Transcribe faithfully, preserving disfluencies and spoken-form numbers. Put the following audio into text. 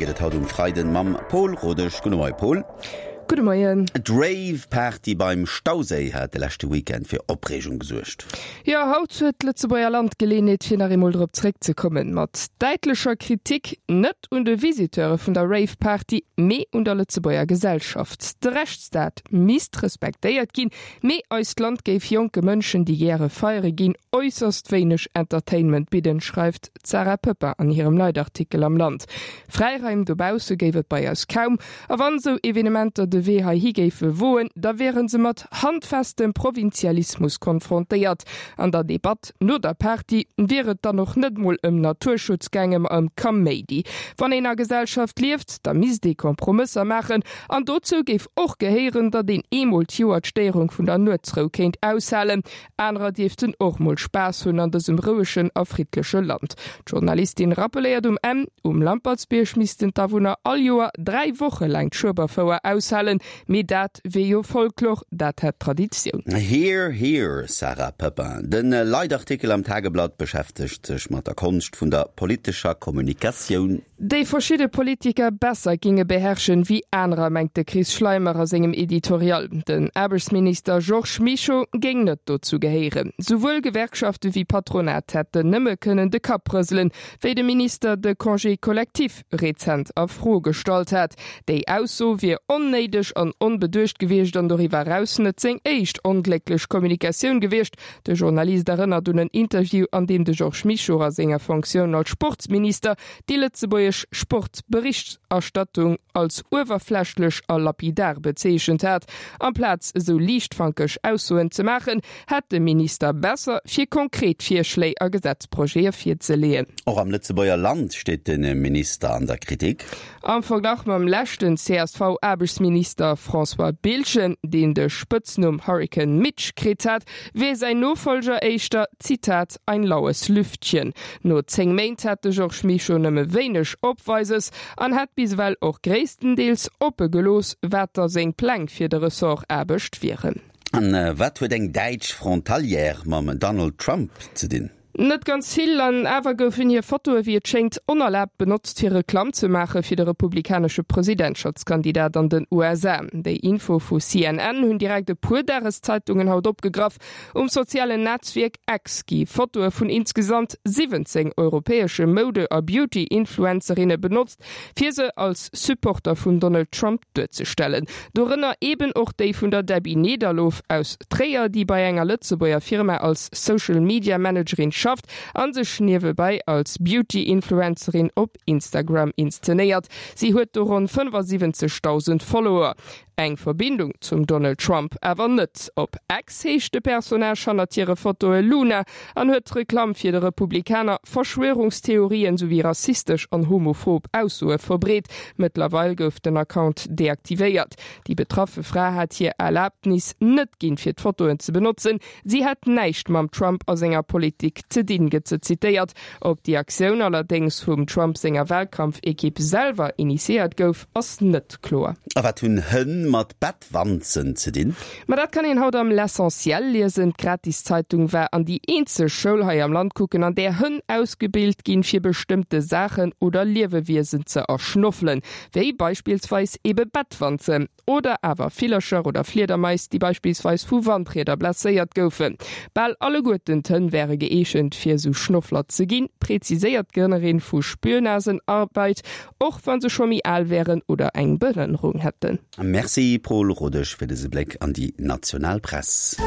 geet et haut um Freiden mam Paul Rodesch. Gudde Moie Paul. Gudde Moien. D'Rave-Party beim Stauséi hat de leschte Weekend fir Opreegung gesuergt. Jo, haut huet d'Lëtzebuerger Land d'Geleeënheet fir nach eemol drop zeréckzekommen. Mat däitlecher Kritik, net un de Visiteure vun der Rave-Party, mee un der Lëtzebuerger Gesellschaft. De Rechtsstaat misst respektéiert ginn, mee eist Land géif jonke Mënschen, déi gäre feiere ginn, äusserst wéineg Entertainment bidden, schreift d'Sarah Poepping an hirem Leitartikel am Land. Fräiraim dobausse géif et bei eis kaum, a wann esou Evenementer de Wee heihi géife woen, da wiere se mat handfestem Provinzialismus konfrontéiert. An der Debatt no der Party wier et dann och net mol ëm Naturschutz gaange ma ëm Kaméidi. Wann een a Gesellschaft lieft, da misst ee Kompromësser maachen an dozou géif och gehéieren, datt een eemol d'Joer d'Stéierung vun der Nuetsrou kéint aushalen. Anerer dierften och mol Spaass hunn an dësem rouegen a friddleche Land. D'Journalistin rappeléiert um Enn, Um Lampertsbierg missten d'Awunner all Joer dräi Woche laang d'Schueberfouer aushalen, mee dat wier jo Folklor, dat hätt Traditioun. Hear, hear, Sarah Poepping. De Leitartikel am Tageblatt beschäftegt sech mat der Konscht vun der politescher Kommunikatioun. Déi verschidde Politiker besser ginge beherrschen wéi anerer, mengt de Chris Schleimer a sengem Editorial. Den Aarbechtsminister Georges Mischo géing net dozou gehéieren. Souwuel Gewerkschafte wéi Patronat hätten nëmme kënnen de Kapp rëselen, wéi de Minister de Congé collectif rezent a Fro gestallt hat. Déi Ausso wier onnéideg an onbeduecht gewiescht an doriwwer eraus net seng éischt onglécklech Kommunikatioun gewiescht. De Journalist erënnert un en Interview, an deem de Georges Mischo a senger Fonctioun als Sportsminister déi lëtzebuergesch Sportberichterstattung als uewerflächlech a lapidar bezeechent hat. Amplaz esou liichtfankeg Aussoen ze maachen, hätt de Minister besser fir konkret Virschléi a Gesetzprojete virzeleeën. Och am Lëtzebuerger Land steet de Minister an der Kritik. Am Verglach mam leschten C S V-Aarbechtsminister François Biltgen, deen de Spëtznumm Hurrikan Mitch kritt hat, wier säin Nofollger éischter, Zitat, ein laues Lüftchen. No zéng Méint hätt de Georges Mischo nëmme wéineg Opweises an hätt bis ewell och gréisstendeels oppe gelooss, wat da seng Pläng fir de Ressort Aarbecht wieren. An wat huet eng däitsch Frontalière mam Donald Trump ze dinn? Net ganz vill, an awer goufen hir Fotoe wéi et schéngt onerlaabt benotzt fir Reklamm ze maache fir de republikanesche Presidentschaftskandidat an den U S A. Déi Info vu C N N hunn direkt e puer Dageszeitungen haut opgegraff. Um sozialen Netzwierk X gi Fotoe vun insgesamt siwwenzéng europäesche Moude a Beauty-Influencerinne benotzt, fir se als Supporter vum Donald Trump duerzestellen. Dorënner eben och déi vun der Debbie Nederlof aus Tréier, déi bei enger Lëtzebuerger Firma als Social Media Managerin schafft an sech niewebäi als Beauty-Influencerin op Instagram inszenéiert. Si huet do ronn fënnefasiwwenzegdausend Follower. Eng Verbindung zum Donald Trump awer net. Op X heescht de Personnage hannert hire Fotoe Luna an huet Reklamm fir de Republikaner, Verschwörungstheorien souwéi rassistesch an homophob Aussoe verbreet. Mëttlerweil gouf den Account deaktivéiert. Déi betraffe Fra hat hir Erlaabnis net ginn, fir d'Fotoen ze benotzen. Si hätt näischt mam Trump a senger Politik ze dinn, gëtt se zitéiert. Ob déi Aktioun allerdéngs vum Trump senger Wahlkampfekipp selwer initiéiert gouf, ass net kloer. A wat hunn Hënn mat Bettwanzen ze dinn? Ma dat kann een haut am L'Essentiel liesen. D'Gratiszeitung war an déi eenzeg Schoul hei am Land kucken, an där Hënn ausgebilt ginn, fir bestëmmte Saachen oder Liewewiesen ze erschnoffelen, wéi beispillsweis ebe Bettwanzen oder awer Villercher oder Fliedermais, déi beispillsweis vu Wandrieder blesséiert goufen. Bal alleguerten d'Hënn wäre geeegent, fir esou Schnoffler ze ginn, präziséiert d'Grënnerin vu Spürnasenarbeit, och wann se scho méi al wären oder eng Behënnerung hätten. Merci Paul Rodesch fir dëse Bléck an déi national Press.